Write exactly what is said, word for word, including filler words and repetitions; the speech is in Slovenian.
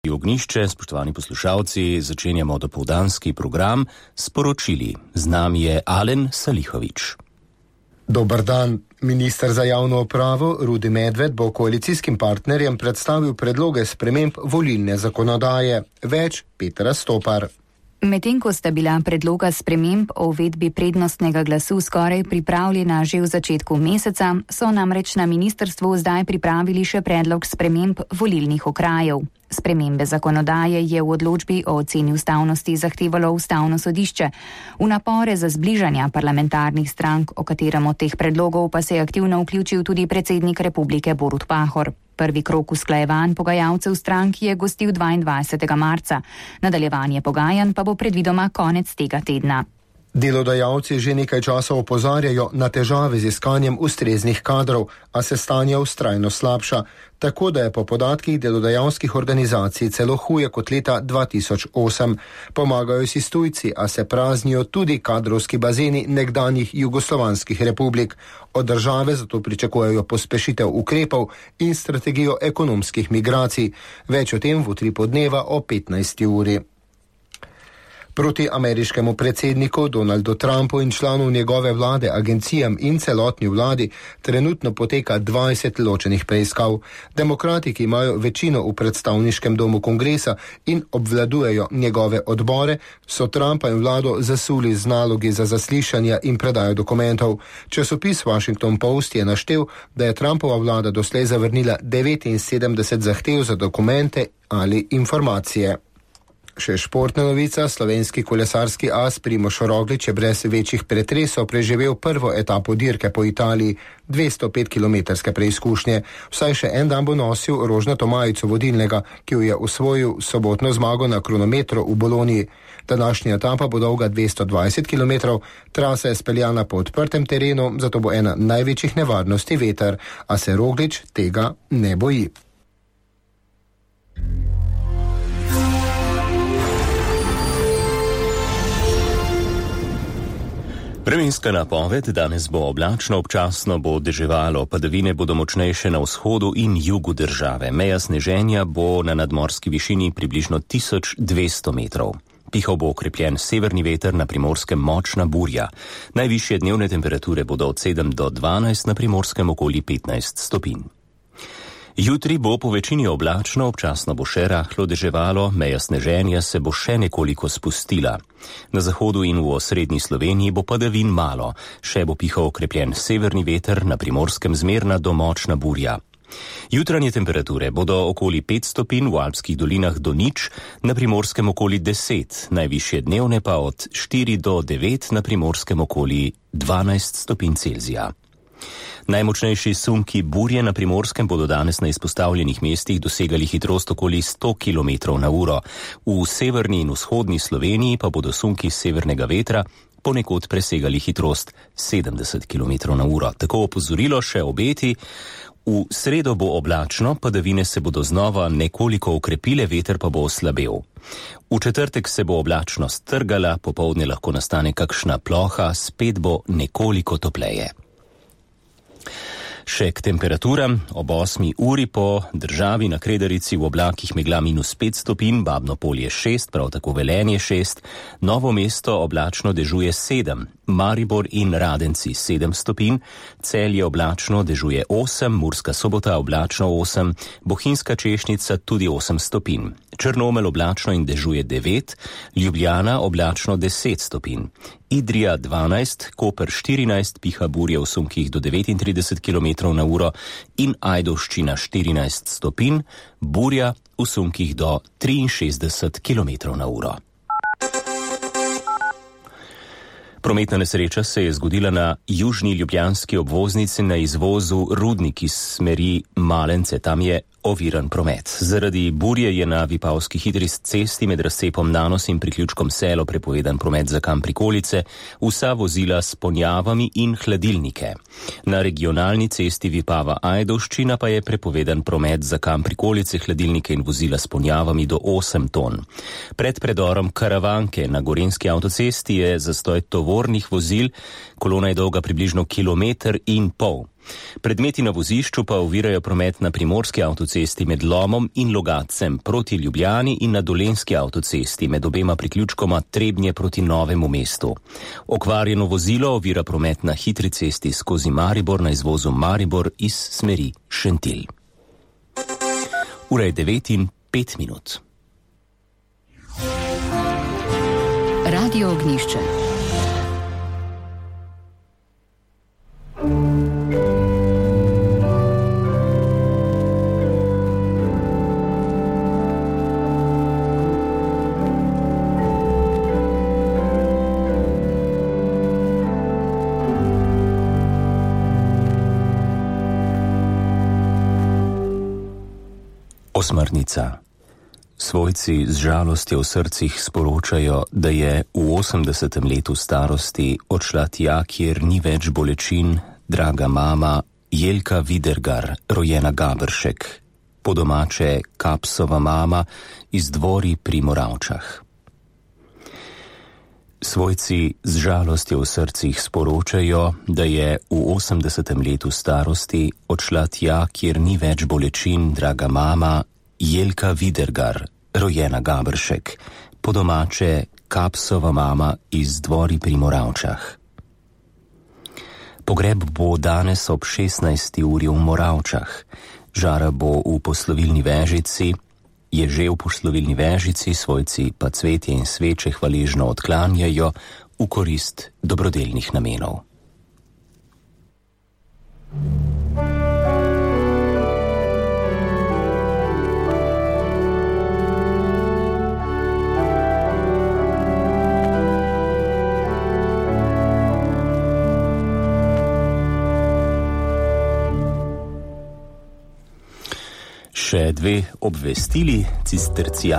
Ognišče, spoštovani poslušalci, začenjamo dopoldanski program s poročili. Z nami je Alen Salihovič. Dober dan. Minister za javno upravo Rudi Medved bo koalicijskim partnerjem predstavil predloge sprememb volilne zakonodaje. Več Petra Stopar. Medtem ko sta bila predloga sprememb o uvedbi prednostnega glasu skoraj pripravljena že v začetku meseca, so namreč na ministrstvu zdaj pripravili še predlog sprememb volilnih okrajev. Spremembe zakonodaje je v odločbi o oceni ustavnosti zahtevalo ustavno sodišče. V napore za zbližanja parlamentarnih strank, o katerem od teh predlogov pa se je aktivno vključil tudi predsednik republike Borut Pahor. Prvi krog usklajevanj pogajalcev strank je gostil dvaindvajsetega marca. Nadaljevanje pogajanj pa bo predvidoma konec tega tedna. Delodajalci že nekaj časa opozarjajo na težave z iskanjem ustreznih kadrov, a se stanje vztrajno slabša, tako da je po podatkih delodajalskih organizacij celo huje kot leta dva tisoč osem. Pomagajo si tujci, a se praznijo tudi kadrovski bazeni nekdanjih jugoslovanskih republik. Od države zato pričakujejo pospešitev ukrepov in strategijo ekonomskih migracij. Več o tem v utripu dneva o petnajsti uri. Proti ameriškemu predsedniku Donaldu Trumpu in članov njegove vlade, agencijam in celotni vladi trenutno poteka dvajset ločenih preiskav. Demokrati, ki imajo večino v predstavniškem domu kongresa in obvladujejo njegove odbore, so Trumpa in vlado zasuli z nalogi za zaslišanja in predajo dokumentov. Časopis Washington Post je naštel, da je Trumpova vlada doslej zavrnila devetinsedemdeset zahtev za dokumente ali informacije. Še športna novica, slovenski kolesarski as Primož Roglič je brez večjih pretresov preživel prvo etapo dirke po Italiji, dvesto pet kilometrske preizkušnje. Vsaj še en dan bo nosil rožnato majico vodilnega, ki jo je osvojil sobotno zmago na kronometru v Boloniji. Današnja etapa bo dolga dvesto dvajset kilometrov, trasa je speljana po odprtem terenu, zato bo ena največjih nevarnosti veter, a se Roglič tega ne boji. Vremenska napoved: danes bo oblačno, občasno bo deževalo, padavine bodo močnejše na vzhodu in jugu države. Meja sneženja bo na nadmorski višini približno tisoč dvesto metrov. Pihal bo okrepljen severni veter, na Primorskem močna burja. Najvišje dnevne temperature bodo od sedem do dvanajst, na Primorskem okoli petnajst stopinj. Jutri bo po večini oblačno, občasno bo še rahlo deževalo, meja sneženja se bo še nekoliko spustila. Na zahodu in v osrednji Sloveniji bo padavin malo, še bo pihal okrepljen severni veter, na Primorskem zmerna do močna burja. Jutranje temperature bodo okoli pet stopinj, v Alpskih dolinah do nič, na Primorskem okoli deset, najvišje dnevne pa od štiri do devet, na Primorskem okoli dvanajst stopinj Celzija. Najmočnejši sunki burje na Primorskem bodo danes na izpostavljenih mestih dosegali hitrost okoli sto kilometrov na uro. V severni in vzhodni Sloveniji pa bodo sunki severnega vetra ponekod presegali hitrost sedemdeset kilometrov na uro. Tako opozorilo še obeti. V sredo bo oblačno, padavine se bodo znova nekoliko okrepile, veter pa bo oslabel. V četrtek se bo oblačnost trgala, popoldne lahko nastane kakšna ploha, spet bo nekoliko topleje. Še k temperaturam. Ob osmi uri po državi na Kredarici v oblakih megla minus pet stopinj, Babno Polje šest, prav tako Velenje šest, Novo mesto oblačno dežuje sedem, Maribor in Radenci sedem stopinj, Celje oblačno dežuje osem, Murska Sobota oblačno osem, Bohinjska Češnica tudi osem stopinj, Črnomelj oblačno in dežuje devet, Ljubljana oblačno deset stopinj, Idrija dvanajst, Koper štirinajst, piha burje v sunkih do devetintrideset kilometrov na uro in Ajdovščina štirinajst stopinj, burja v sunkih do triinšestdeset kilometrov na uro. Prometna nesreča se je zgodila na južni ljubljanski obvoznici na izvozu Rudnik iz smeri Malence. Tam je oviran promet. Zaradi burje je na Vipavski hitri cesti med razcepom Nanos in priključkom Selo prepovedan promet za kam prikolice, vsa vozila s ponjavami in hladilnike. Na regionalni cesti Vipava-Ajdovščina pa je prepovedan promet za kam prikolice, hladilnike in vozila s ponjavami do osem ton. Pred predorom Karavanke na Gorenjski avtocesti je zastoj tovornih vozil, kolona je dolga približno kilometer in pol. Predmeti na vozišču pa ovirajo promet na primorski avtocesti med Lomom in Logatcem proti Ljubljani in na dolenski avtocesti med obema priključkoma Trebnje proti Novemu mestu. Okvarjeno vozilo ovira promet na hitri cesti skozi Maribor na izvozu Maribor iz smeri Šentilj. Ura je devet in pet minut. Radio Ognjišče. Osmrtnica. Svojci z žalostjo v srcih sporočajo, da je v osemdesetem letu starosti odšla tja, kjer ni več bolečin, draga mama Jelka Vidergar, rojena Gabršek, po domače Kapsova mama iz Dvori pri Moravčah. Svojci z žalostjo v srcih sporočajo, da je v osemdesetem letu starosti odšla tja, kjer ni več bolečin, draga mama Jelka Vidergar, rojena Gabršek, po domače Kapsova mama iz Dvori pri Moravčah. Pogreb bo danes ob šestnajsti uri v Moravčah, žara bo v poslovilni vežici, je že v poslovilni vežici, svojci pa cvetje in sveče hvaležno odklanjajo v korist dobrodelnih namenov. Še dve obvestili. Cistercijanske